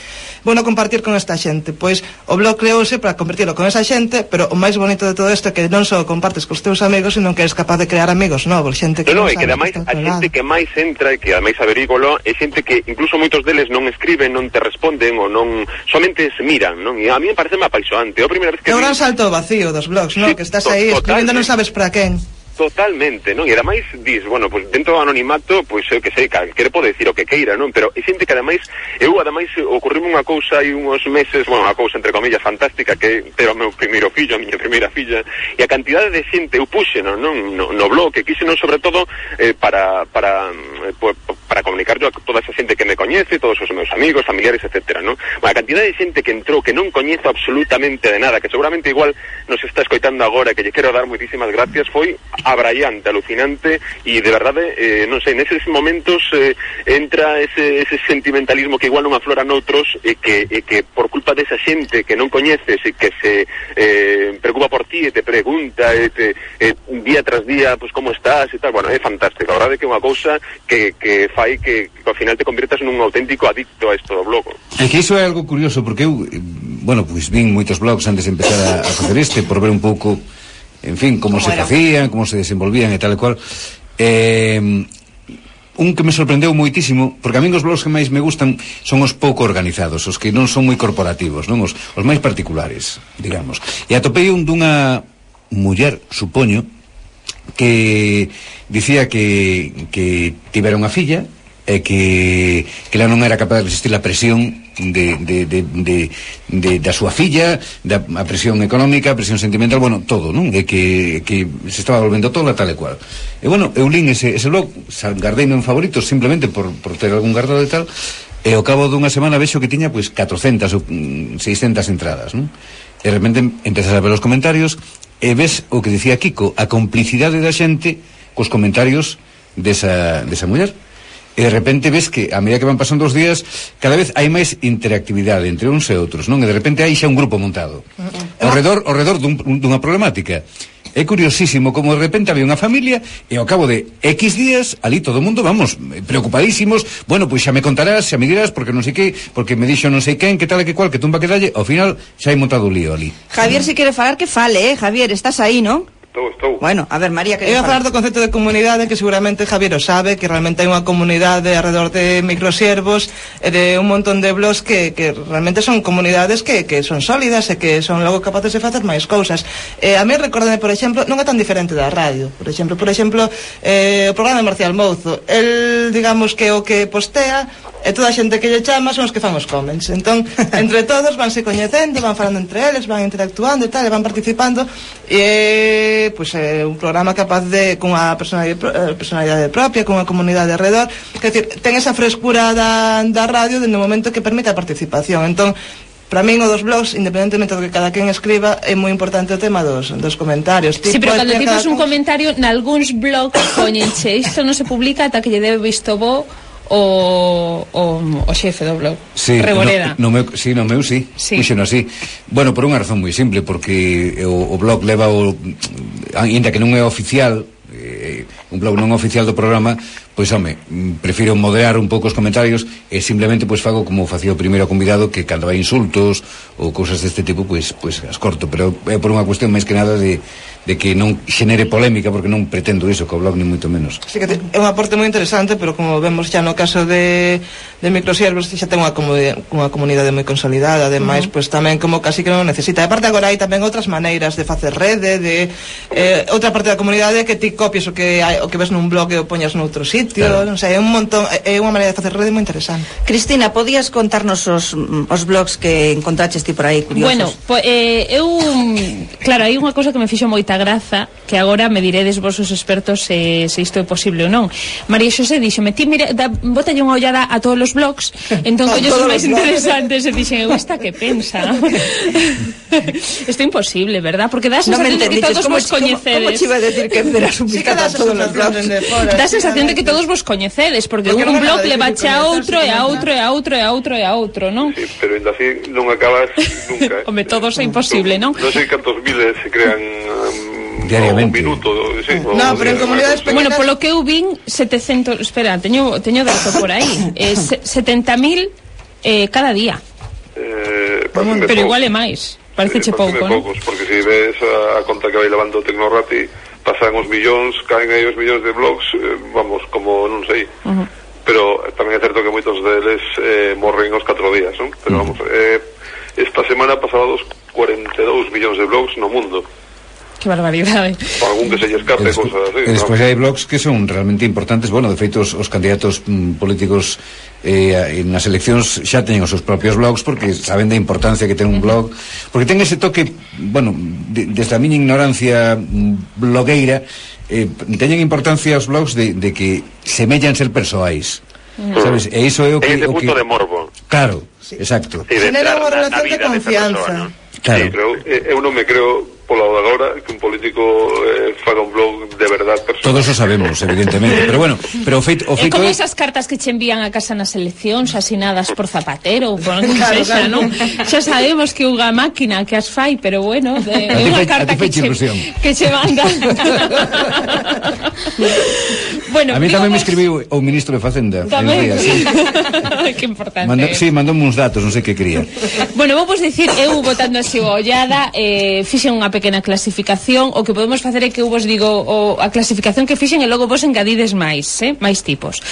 bueno, compartir con esta xente. Pois o blog creouse para compartirlo con esa xente, pero o máis bonito de todo isto é que non só compartes cos teus amigos, sino que eres capaz de crear amigos novos, xente que no, non, no, e que ademais a xente que máis entra e que ademais averígolo é xente que incluso moitos deles non escriben, non te responden ou non, somente se miran, non? E a mí me parece apaixonante. É a primeira vez que é un gran salto vacío dos blogs, non? Sí, que estás aí escribindo non sabes para quen. Totalmente, non? E ademais dis, bueno, pues dentro do anonimato, pois eu que sei, calquera pode decir o que queira, non? Pero é xente que ademais, eu ademais ocorrime unha cousa hai uns meses, bueno, unha cousa entre comillas fantástica, que era o meu primeiro fillo, a miña primeira filla, e a cantidade de xente eu puxe, non? No, no blog, que quise non sobre todo eh, para para eh, para comunicar yo a toda esa xente que me coñece, todos os meus amigos, familiares, etcétera, non? Bueno, a cantidade de xente que entrou que non coñezo absolutamente de nada, que seguramente igual nos está escoitando agora, que lle quero dar moitísimas gracias, foi abraiante, alucinante, e de verdade, eh, non sei, neses momentos eh, entra ese, ese sentimentalismo que igual non aflora noutros e que, e que por culpa desa xente que non coñeces e que se eh, preocupa por ti e te pregunta e te, e día tras día, pues como estás e tal, bueno, é fantástico, a verdade que é unha cousa que, que fai que, que ao final te convirtas nun auténtico adicto a isto do blog. É que iso é algo curioso, porque eu, bueno, pois vin moitos blogs antes de empezar a, a facer este, por ver un pouco, en fin, como, como se era? facían, como se desenvolvían e tal e cual. Eh, un que me sorprendeu moitísimo, porque a min os blogs que máis me gustan son os pouco organizados, os que non son moi corporativos, non os, os máis particulares, digamos. E atopei un dunha muller, supoño, que dicía que, que tivera unha filla e que, que ela non era capaz de resistir a presión de, de, de, de, de, da súa filla, da a presión económica, a presión sentimental, bueno, todo, non? E que, que se estaba volvendo toda tal e cual. E bueno, eu lín ese, ese blog, guardeime en favoritos simplemente por, por ter algún guardado e tal, e ao cabo dunha semana vexo que tiña pois catrocentas ou seiscentas entradas, non? E de repente empezas a ver os comentarios e ves o que dicía Kiko, a complicidade da xente cos comentarios desa, desa muller. E de repente ves que a medida que van pasando os días cada vez hai máis interactividade entre uns e outros, non? E de repente hai xa un grupo montado ao redor, ao redor dun, dunha problemática. É curiosísimo como de repente había unha familia e ao cabo de X días ali todo o mundo, vamos, preocupadísimos. Bueno, pois xa me contarás, xa me dirás, porque non sei que, porque me dixo non sei quen, que tal e que cual, que tumba que dalle. Ao final xa hai montado o lío ali. Javier, se quere falar que fale, eh? Javier, estás aí, non? Estou, estou. Bueno, a ver, María, que eu a falar do concepto de comunidade, que seguramente Javier o sabe, que realmente hai unha comunidade alrededor de microsiervos e de un montón de blogs que, que realmente son comunidades que, que son sólidas e que son logo capaces de facer máis cousas. Eh, a mí recordame, por exemplo, non é tan diferente da radio, por exemplo, por exemplo, eh, o programa de Marcial Mouzo, el, digamos, que o que postea e toda a xente que lle chama son os que fan os comments. Entón, entre todos vanse coñecendo, van falando entre eles, van interactuando e tal, e van participando, e pois é un programa capaz de, con a personalidade, personalidade propia, con a comunidade alrededor, que decir, ten esa frescura da, da radio dende o momento que permite a participación. Entón, para min o dos blogs, independentemente do que cada quen escriba, é moi importante o tema dos, dos comentarios. Sí, pero cando tipas un comentario nalgúns blogs poñenche, isto non se publica ata que lle debe visto bo o, o, o xefe do blog, sí, Reboreda. No, no meu, sí, no meu sí, sí. Puxeno así. Bueno, por unha razón moi simple, porque o, o blog leva o, ainda que non é oficial, eh, un blog non oficial do programa, pois home, prefiro moderar un pouco os comentarios e simplemente pois fago como facía o primeiro convidado, que cando hai insultos ou cousas deste tipo, pois pois as corto, pero é por unha cuestión máis que nada de de que non xenere polémica, porque non pretendo iso co blog, ni moito menos. Sí, que é un aporte moi interesante, pero como vemos xa no caso de, de microsiervos, xa ten unha comunidade, unha comunidade moi consolidada, ademais, uh -huh. pois tamén como casi que non necesita. E aparte agora hai tamén outras maneiras de facer rede, de eh, outra parte da comunidade que ti copies o que hai, o que ves nun blog e o poñas noutro sitio, claro. Non sei, é un montón, é unha maneira de facer rede moi interesante. Cristina, podías contarnos os, os blogs que encontraches ti por aí curiosos? Bueno, po, eh, eu, claro, hai unha cousa que me fixo moita graza, que agora me diredes vos os expertos se, se isto é posible ou non. María Xosé díxome, ti mira, da, botalle unha ollada a todos os blogs, entón colles os máis interesantes e dixen, eu esta que pensa. Isto é imposible, verdad? Porque dá a sensación de que todos vos coñecedes. Como che iba a decir que verás un vistazo a todos os blogs? Dá a sensación de que todos vos coñecedes, porque un blog levache a outro e a outro e a outro e a outro e a outro, non? Sí, pero ainda así non acabas nunca. Home, todos é imposible, non? Non sei cantos miles se crean diariamente. Un minuto, sí, no, pero en comunidades pequenas... Bueno, polo que eu vin, setecentos, espera, teño teño dato por aí. Eh, setenta mil eh, cada día. Eh, pero pouco. Igual é máis. Pareceche eh, pouco, non? Poucos, porque se ves a, a conta que vai levando o Tecnorati, pasan os millóns, caen aí os millóns de blogs, eh, vamos, como non sei. Uh -huh. Pero tamén é certo que moitos deles eh, morren os catro días, non? Pero uh -huh. vamos, eh, esta semana pasados cuarenta e dous millóns de blogs no mundo. Que barbaridade. Para algún que se lle escape, Despo, cosas así. E despois hai blogs que son realmente importantes. Bueno, de feito, os, os candidatos mm, políticos eh, nas eleccións xa teñen os seus propios blogs, porque saben da importancia que ten un blog, porque ten ese toque, bueno, de, desde a miña ignorancia mm, blogueira, eh, teñen importancia os blogs de, de que semellan ser persoais. Mm. Sabes? E iso é o que... Ese o punto que... de morbo. Claro, sí. Exacto. Sí, genera unha relación de confianza. Persona, ¿no? Claro. Sí, pero eu non me creo pola de agora que un político eh, faga un blog de verdad personal. Todos o sabemos, evidentemente, pero bueno, pero o feito, o feito é como é... esas cartas que che envían a casa nas eleccións asinadas por Zapatero ou por que claro, sexa, claro. Non? Xa sabemos que unha máquina que as fai, pero bueno, é unha carta que che, que che manda. Bueno, a mí tamén me escribiu o ministro de Facenda. Tamén. Día, sí. Que importante. Mandó, sí, mandoume uns datos, non sei que quería. Bueno, vou vos dicir, eu botando así a ollada, eh, fixen unha pequena clasificación. O que podemos facer é que eu vos digo o, a clasificación que fixen e logo vos engadides máis, eh? máis tipos.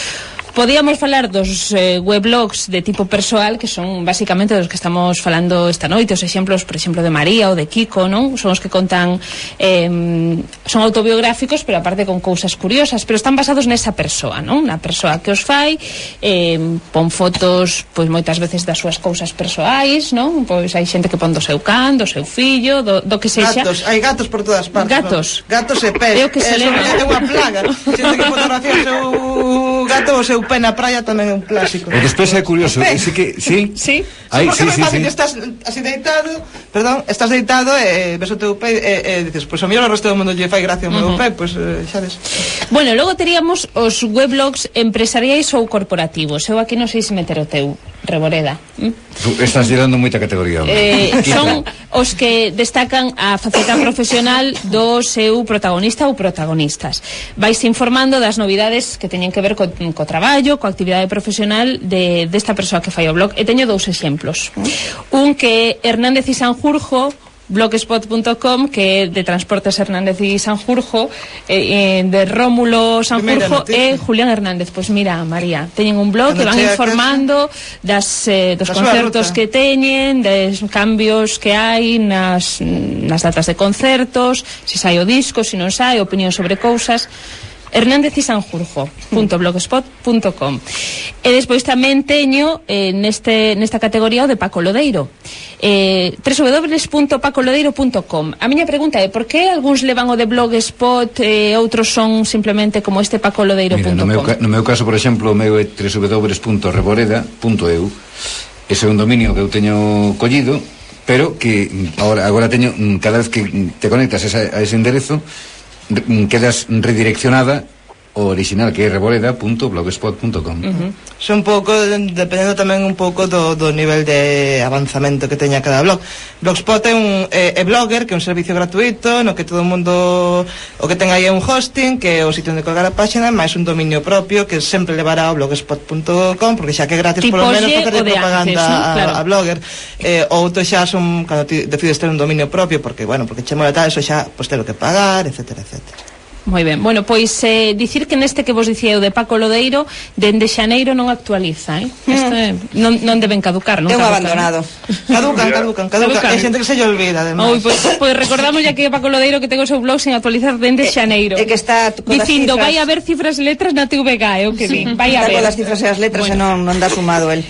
Podíamos falar dos eh, weblogs de tipo persoal, que son basicamente dos que estamos falando esta noite, os exemplos, por exemplo, de María ou de Kiko, non? Son os que contan, eh, son autobiográficos, pero aparte con cousas curiosas, pero están basados nesa persoa, non? Na persoa que os fai, eh, pon fotos, pois moitas veces das súas cousas persoais, non? Pois hai xente que pon do seu can, do seu fillo, do, do que sexa. Gatos, hai gatos por todas partes. Gatos. ¿no? Gatos e pés. É o que se leva. É unha plaga. Xente que fotografía o seu gato ou o seu pé na praia tamén é un clásico. E despois é curioso, sí que, sí? Sí. Ai, sí, sí, sí, fácil, sí. Estás así deitado, perdón, estás deitado e ves o teu pé e, e dices, pois pues, o mellor o resto do mundo lle fai gracia o meu uh-huh. pé, pois pues, xa ves. Bueno, logo teríamos os weblogs empresariais ou corporativos. Eu aquí non sei se meter o teu, Reboreda. ¿Mm? Estás dando moita categoría. Eh, son os que destacan a faceta profesional do seu protagonista ou protagonistas. Vais informando das novidades que teñen que ver co, co traballo, coa actividade profesional de desta persoa que fai o blog. E teño dous exemplos. Un que é Hernández y Sanjurjo, blogspot punto com, que é de Transportes Hernández y Sanjurjo, eh, de Rómulo Sanjurjo e Julián Hernández. Pois mira, María, teñen un blog que van informando das, eh, dos concertos que teñen, dos cambios que hai nas, nas datas de concertos, se sai o disco, se non sai, opinión sobre cousas. Hernández y Sanjurjo punto blogspot punto com. E despois tamén teño eh, neste, nesta categoría o de Paco Lodeiro, eh, w w w punto paco lodeiro punto com. A miña pregunta é por que algúns levan o de Blogspot e eh, outros son simplemente como este Paco Lodeiro punto com? Mira, no meu, no meu caso, por exemplo, o meu é w w w punto reboreda punto e u. Ese é un dominio que eu teño collido, pero que agora, agora teño, cada vez que te conectas a, a ese enderezo, quedas redireccionada o original, que é reboreda punto blogspot punto com. Uh-huh. Son un pouco, dependendo tamén un pouco do, do nivel de avanzamento que teña cada blog. Blogspot é un é, é Blogger, que é un servicio gratuito no que todo o mundo o que ten aí é un hosting, que é o sitio onde colgar a página, máis un dominio propio que sempre levará ao blogspot punto com, porque xa que é gratis, polo menos facerle propaganda antes, ¿no? Claro. a, a Blogger. Eh, outro xa son cando ti decides ter un dominio propio, porque bueno, porque che mola tal, eso xa pois ter o que pagar, etcétera, etcétera. Moi ben, bueno, pois eh, dicir que neste que vos dicía eu de Paco Lodeiro, dende xaneiro non actualiza, eh? Mm. Este, non, non deben caducar, non? É un abandonado. Caducan, caducan, caducan. Hai xente que se lle olvida, además. Oi, pois, pois recordamos ya que Paco Lodeiro que ten o seu blog sin actualizar dende xaneiro. É que está dicindo, vai a ver cifras e letras na T V G, é o que vi. Vai a ver. Está con as cifras e as letras bueno. E non, non dá sumado el.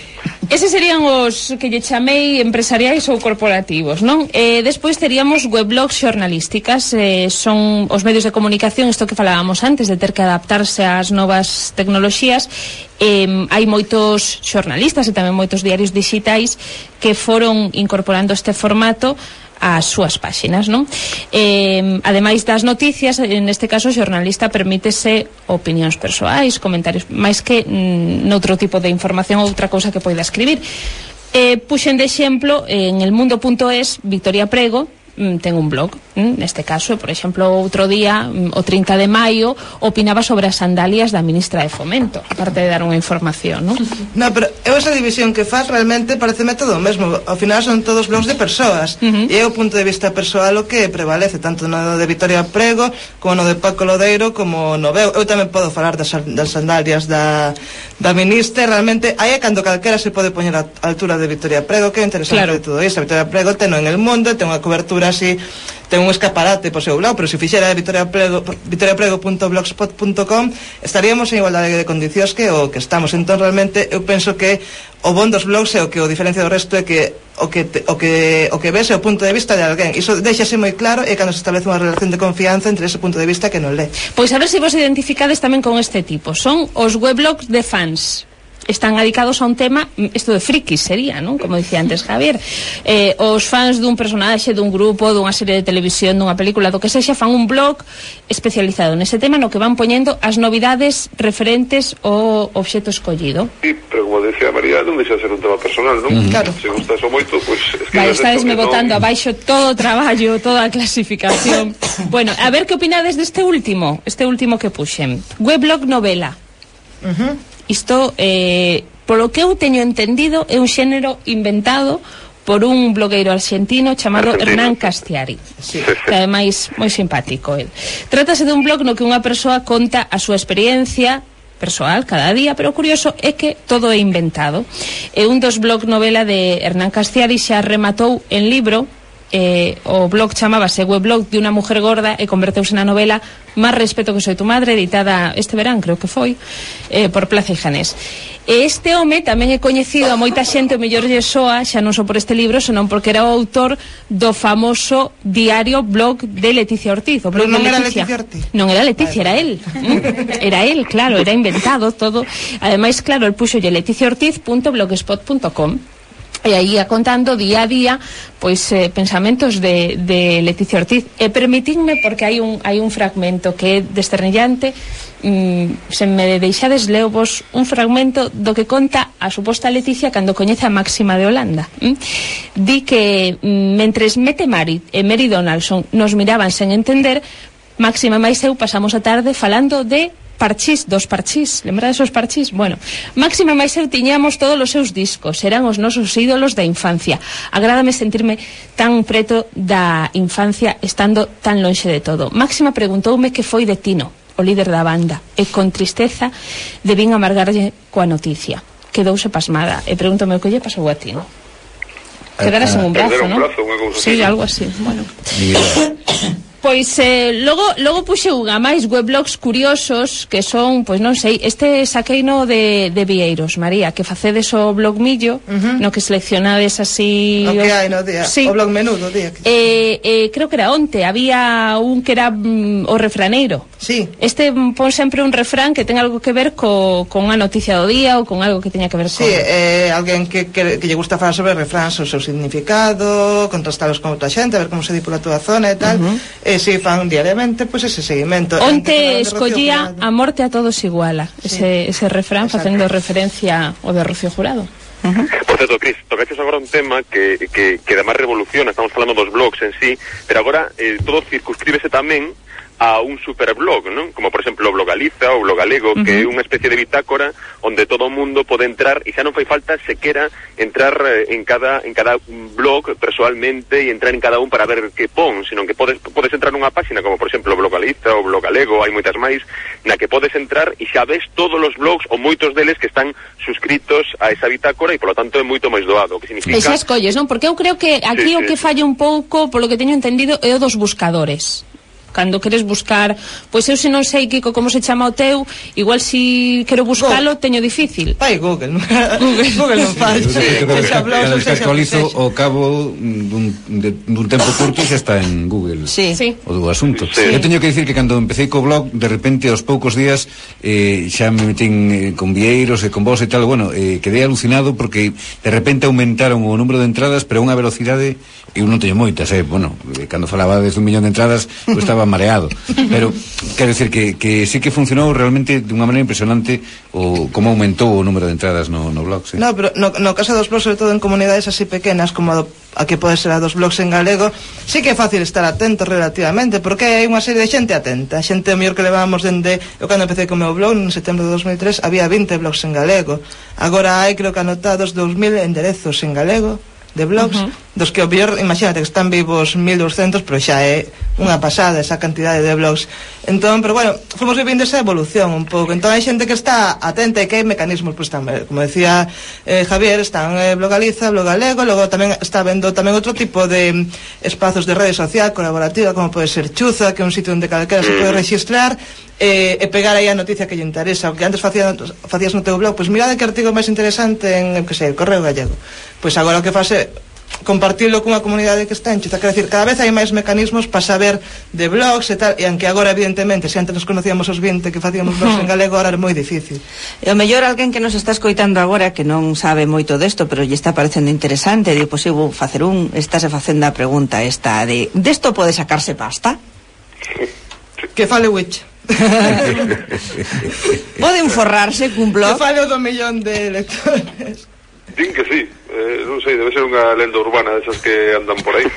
Eses serían os que lle chamei empresariais ou corporativos, non? E despois teríamos weblogs xornalísticas, eh, son os medios de comunicación, isto que falábamos antes, de ter que adaptarse ás novas tecnoloxías. Eh, hai moitos xornalistas e tamén moitos diarios digitais que foron incorporando este formato as súas páxinas, non? Eh, ademais das noticias, neste caso o xornalista permítese opinións persoais, comentarios, máis que mm, noutro tipo de información ou outra cousa que poida escribir. Eh, puxen de exemplo en el mundo punto es Victoria Prego ten un blog, neste caso, por exemplo, outro día, o trinta de maio, opinaba sobre as sandalias da ministra de Fomento, aparte de dar unha información, non? No, pero eu esa división que faz realmente pareceme todo o mesmo. Ao final son todos blogs de persoas, uh-huh. E é o punto de vista persoal o que prevalece, tanto no de Victoria Prego como no de Paco Lodeiro, como no veo. Eu tamén podo falar das, das sandalias da, da ministra. Realmente aí é cando calquera se pode poñer a altura de Victoria Prego, que é interesante, claro, de todo isto. Victoria Prego ten en El Mundo, ten unha cobertura así, ten un escaparate por seu lado, pero se fixera Victoria Prego, victoria prego punto blogspot punto com, estaríamos en igualdade de condicións que o que estamos. Entón realmente eu penso que o bon dos blogs é o que o diferencia do resto é que o que te, o que o que ves é o punto de vista de alguén. Iso deixase moi claro e cando se establece unha relación de confianza entre ese punto de vista que non lee. Pois a ver se vos identificades tamén con este tipo. Son os weblogs de fans. Están dedicados a un tema, isto de frikis sería, non? Como dicía antes Javier, eh, os fans dun personaxe, dun grupo, dunha serie de televisión, dunha película, do que sexa, fan un blog especializado nese tema no que van poñendo as novidades referentes ao obxecto escollido. Sí, pero como decía María, non deixa de ser un tema personal, non? Mm. Claro. Se gusta eso moito, pois... Pues, vai, estadesme botando non... abaixo todo o traballo, toda a clasificación. Bueno, a ver que opinades deste último, este último que puxen. Weblog novela. Uh-huh. Isto, eh, polo que eu teño entendido, é un xénero inventado por un blogueiro argentino chamado Argentino. Hernán Castiari, sí, que ademais moi simpático el. Trátase dun blog no que unha persoa conta a súa experiencia persoal cada día, pero o curioso é que todo é inventado. É un dos blog novela de Hernán Castiari, xa rematou en libro. Eh, o blog chamábase Weblog de unha mujer gorda e converteuse na novela Más respeto que soy tu madre, editada este verán, creo que foi, eh, por Plaza y Janés. E este home tamén é coñecido a moita xente, o mellor lle soa, xa non só por este libro, senón porque era o autor do famoso diario blog de Leticia Ortiz. O blog non de era Leticia. Leticia Ortiz? Non era Leticia, era él. Era él, claro, era inventado todo. Ademais, claro, el puxolle leticia ortiz punto blogspot punto com. E aí a contando día a día pois eh, pensamentos de, de Leticia Ortiz. E permitidme, porque hai un, hai un fragmento que é desternillante, mm, se me deixades leo vos un fragmento do que conta a suposta Leticia cando coñece a Máxima de Holanda. mm? Di que mm, mentres Mette Marit e Mary Donaldson nos miraban sen entender, Máxima máis eu pasamos a tarde falando de parchís, dos parchís, lembrades os parchís? Bueno, Máxima máis eu tiñamos todos os seus discos, eran os nosos ídolos da infancia. Agrádame sentirme tan preto da infancia estando tan lonxe de todo. Máxima preguntoume que foi de Tino, o líder da banda, e con tristeza debín amargarlle coa noticia. Quedouse pasmada e pregúntome o que lle pasou a Tino. Quedaras en un brazo, non? Sí, algo así, bueno. Pois eh, logo, logo puxe unha máis weblogs curiosos que son, pois non sei, este saqueino de, de Vieiros, María, que facedes o blog millo, uh-huh. no que seleccionades así o que hai no día, sí. O blog menú do día que... eh, eh, creo que era onte, había un que era mm, o refraneiro. Sí. Este pon sempre un refrán que ten algo que ver co, con unha noticia do día ou con algo que teña que ver con... Sí, eh, alguén que, que, que lle gusta falar sobre refráns, o seu significado, contrastalos con outra xente, a ver como se di pola túa zona e tal. Uh-huh. E si fan diariamente, pois ese seguimento. Onte escollía a morte a todos iguala, sí. ese, ese refrán. Exacto. Facendo referencia ao de Rocío Jurado. Uh-huh. Por certo, Cris, tocaches agora un tema que, que, que además revoluciona, estamos falando dos blogs en sí, pero agora eh, todo circunscríbese tamén a un superblog, ¿no? Como por exemplo o Blogaliza ou Blogalego, uh-huh. que é unha especie de bitácora onde todo o mundo pode entrar e xa non fai falta sequera entrar en cada en cada blog persoalmente e entrar en cada un para ver que pon, sino que podes podes entrar nunha página como por exemplo Blogaliza ou Blogalego, hai moitas máis, na que podes entrar e xa ves todos os blogs ou moitos deles que están suscritos a esa bitácora e polo tanto é moito máis doado, que significa... E xa escolles, non? Porque eu creo que aquí sí, o que sí. falla un pouco, polo que teño entendido, é o dos buscadores. Cando queres buscar, pois eu se non sei, Kiko, como se chama o teu, igual si quero buscalo, teño difícil. Vai Google, Google, Google non falla. Cando se actualizo o cabo dun, de, dun tempo curto xa está en Google. Sí. Sí. O do asunto. Sí. Eu teño que dicir que cando empecé co blog, de repente aos poucos días eh, xa me metín eh, con Vieiros e con vos e tal, bueno, eh, quedei alucinado porque de repente aumentaron o número de entradas, pero a unha velocidade, eu non teño moitas, eh, bueno, cando falaba desde un millón de entradas, eu estaba mareado, pero quero decir que, que sí que funcionou realmente de unha maneira impresionante o como aumentou o número de entradas no, no blog, sí. No, pero no, no caso dos blogs, sobre todo en comunidades así pequenas como a, a que pode ser a dos blogs en galego, sí que é fácil estar atento relativamente, porque hai unha serie de xente atenta, xente o mellor que levábamos dende, eu cando empecé con o meu blog en setembro de dos mil tres había vinte blogs en galego, agora hai creo que anotados dous mil enderezos en galego de blogs, uh-huh. dos que o mellor, imagínate que están vivos mil doscientos, pero xa é unha pasada esa cantidade de blogs. Entón, pero bueno, fomos vivindo esa evolución un pouco. Entón hai xente que está atenta e que hai mecanismos, pues, tamén, como decía eh, Javier, están eh, Blogaliza, Blogalego, logo tamén está vendo tamén outro tipo de espazos de rede social colaborativa, como pode ser Chuza, que é un sitio onde calquera se pode registrar e, e pegar aí a noticia que lle interesa. O que antes facías, facías no teu blog, pois pues, mirade que artigo máis interesante en, que sei, el Correo Gallego. Pois pues agora o que faz é compartirlo cunha comunidade que está en Chuza. Quer decir, cada vez hai máis mecanismos para saber de blogs e tal, e aunque agora evidentemente, se antes nos conocíamos os vinte que facíamos blogs en galego, agora é moi difícil. E o mellor alguén que nos está escoitando agora que non sabe moito desto, pero lle está parecendo interesante, di, pois eu vou facer un, estáse facendo a pregunta esta de, desto pode sacarse pasta? Que fale Witch. Poden forrarse cun blog? Que fale o do millón de lectores. Din que sí, eh, non sei, debe ser unha lenda urbana desas que andan por aí.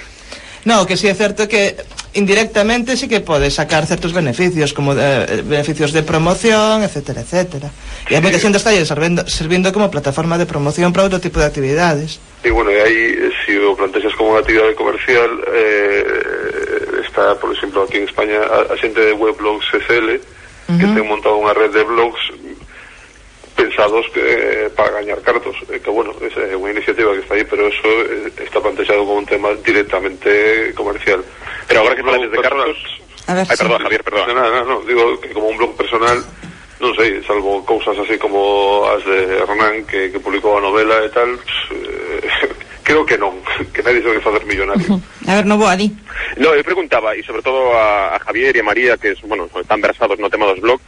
No, que sí é certo que indirectamente sí que pode sacar certos beneficios, como de, beneficios de promoción, etcétera, etcétera. E a moita xente está servindo, servindo como plataforma de promoción para outro tipo de actividades. E bueno, e aí, se o plantexas como unha actividade comercial, eh, está, por exemplo, aquí en España, a, a xente de Weblogs S L, uh-huh. que ten montado unha red de blogs pensados que, para gañar cartos, eh, que bueno, é unha iniciativa que está aí, pero eso eh, está plantexado como un tema directamente comercial. Pero agora que falades de cartos... A ver, Ay, sí. perdón, Javier, perdón. No, no, no, digo que como un blog personal, non sei, salvo cousas así como as de Hernán, que, que publicou a novela e tal, pues, eh, creo que non, que nadie se vai facer millonario. A ver, no vou a di. No, eu preguntaba, e sobre todo a, a Javier e a María, que es, bueno, están versados no tema dos blogs,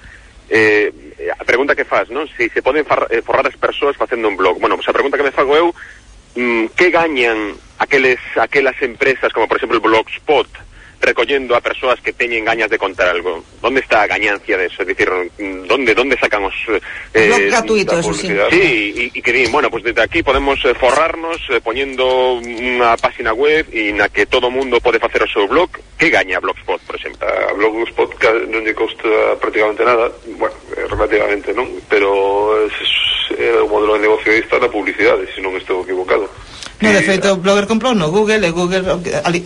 eh, a pregunta que faz, non? Si se poden far, eh, forrar as persoas facendo un blog. Bueno, pues a pregunta que me fago eu, mm, que gañan aqueles, aquelas empresas, como por exemplo el Blogspot, recollendo a persoas que teñen gañas de contar algo? ¿Dónde está a gañancia de eso? Es decir, ¿dónde, dónde sacan os... Eh, blog gratuito, eso sí. Sí, y, y que din, bueno, pues desde aquí podemos eh, forrarnos eh, poniendo unha página web e na que todo mundo pode facer o seu blog. Que gaña Blogspot, por exemplo? A Blogspot non lle costa prácticamente nada, bueno, relativamente non, pero é o modelo de negocio está na publicidade, se non estou equivocado. No, de feito, o Blogger comprou no Google, e Google, ali,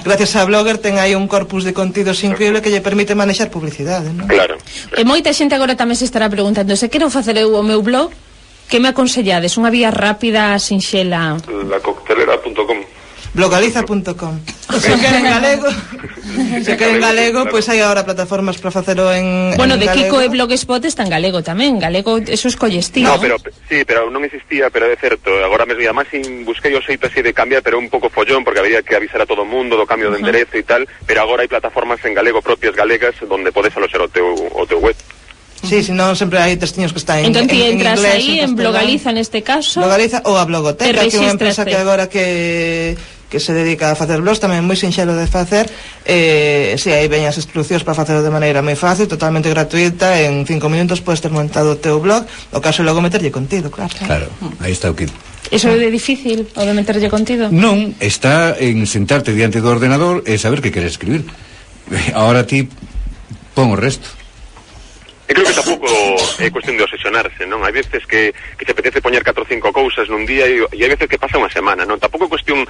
gracias a Blogger, ten aí un corpus de contidos increíble que lle permite manexar publicidade, non? Claro. E moita xente agora tamén se estará preguntando, se quero facer eu o meu blog, que me aconsellades? Unha vía rápida, sinxela? La coctelera punto com. blogaliza punto com. Se queren galego, se queren galego, pois hai agora plataformas para facelo en Bueno, en de galego. Kiko e Blogspot está en galego tamén. Galego, eso escolles ti, No, ¿no? pero sí, pero non existía, pero é certo. Agora mesmo, e además sin busquei o xeito así de cambiar, pero un pouco follón, porque había que avisar a todo o mundo do cambio de enderezo e tal, pero agora hai plataformas en galego propias galegas donde podes aloxar o teu, o teu web. Sí, si non, sempre hai testiños que están en, Entón ti en, en entras inglés, aí, en castelán. Blogaliza neste caso. Blogaliza ou a Blogoteca, que é unha empresa rexistraste. que agora que que se dedica a facer blogs, tamén moi sinxelo de facer, eh, si, aí veñas instruccións para facelo de maneira moi fácil, totalmente gratuita, en cinco minutos podes ter montado o teu blog, o caso é logo meterlle contido, claro. Claro, aí está o que... Eso é de difícil, o de meterlle contido? Non, está en sentarte diante do ordenador e saber que queres escribir. Ahora ti pon o resto. E creo que tampouco é cuestión de obsesionarse, non? Hai veces que, que se apetece poñer catro ou cinco cousas nun día e, e hai veces que pasa unha semana, non? Tampouco é cuestión...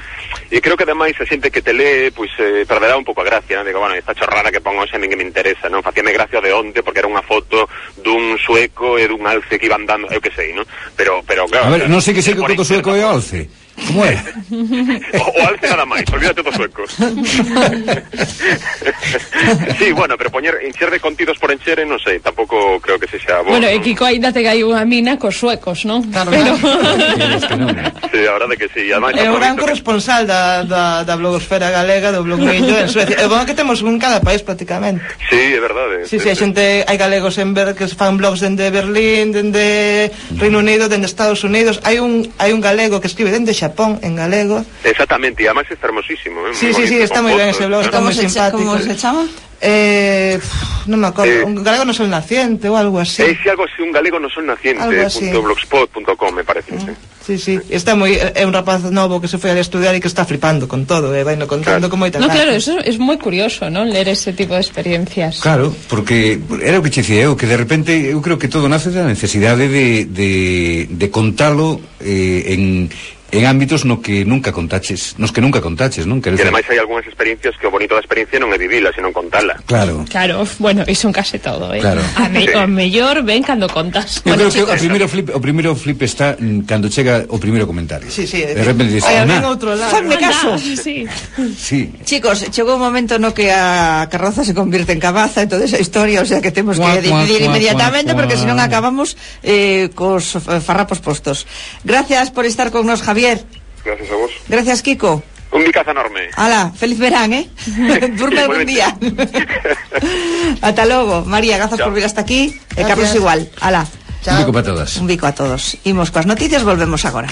E creo que ademais a xente que te lee, pois, eh, perderá un pouco a gracia, non? Digo, bueno, esta chorrada que pongo xa ninguén me interesa, non? Facíame gracia de onte porque era unha foto dun sueco e dun alce que iban dando, eu que sei, non? Pero, pero claro... A ver, non sei que sei que o sueco é o alce. Como é? O, o alce nada máis, olvídate dos suecos. Sí, bueno, pero poñer, encher de contidos por encher, non sei, tampouco creo que sexa bo. Bueno, e Kiko aínda te gai unha mina cos suecos, non? Claro, Pero... Sí, a verdade que sí. Ademais, É o gran aproveito que- corresponsal da, da, da blogosfera galega, do blog Millo en Suecia. É bom que temos un en cada país prácticamente. Sí, é verdade. Sí, sí, a xente, hai galegos en ver que fan blogs dende Berlín, dende Reino Unido, dende Estados Unidos. Hai un hai un galego que escribe dende Xapón en galego. Exactamente, e además está hermosísimo, ¿eh? Sí, Muy sí, sí, bonito, está con moi ben fotos, ese blog, ¿no? está moi simpático. ¿Cómo se chama? Eh, pff, non me acordo, Eh, un galego no sol naciente ou algo así. É algo así, un galego no son naciente, Algo así. punto blogspot punto com, me parece, sí. Sí, sí, está moi é un rapaz novo que se foi a estudiar e que está flipando con todo, e vai no contando Claro. con moita No, gracia. claro, eso es moi curioso, non? Ler ese tipo de experiencias. Claro, porque era o que che dicía eu, que de repente eu creo que todo nace da necesidade de, de, de contalo eh, en, en ámbitos no que nunca contaches, nos que nunca contaches, non? E ademais hai algunhas experiencias que o bonito da experiencia non é vivila, sino contala. Claro. Claro, bueno, iso en case todo, eh? Claro. A, me, Sí. o mellor ven cando contas. Eu Bueno, creo que o chicos, primeiro flip, o primeiro flip está mm, cando chega o primeiro comentario. Sí, sí, de repente dices, hai "Ah, alguén outro lado. Fanme anda, caso. Sí. sí. Chicos, chegou un momento no que a carroza se convierte en cabaza e toda esa historia, o sea que temos que Cuac, decidir cuac, inmediatamente cuac, porque cuac. senón acabamos eh, cos eh, farrapos postos. Gracias por estar con nos, Javier. Gracias a vos. Gracias, Kiko. Un bicazo enorme. Ala, feliz verán, eh? Durme algún día. Ata logo. María, grazas Chao. por vir hasta aquí. E Gracias. Carlos igual. Ala. Un bico para todas. Un bico a todos. Imos coas noticias, volvemos agora.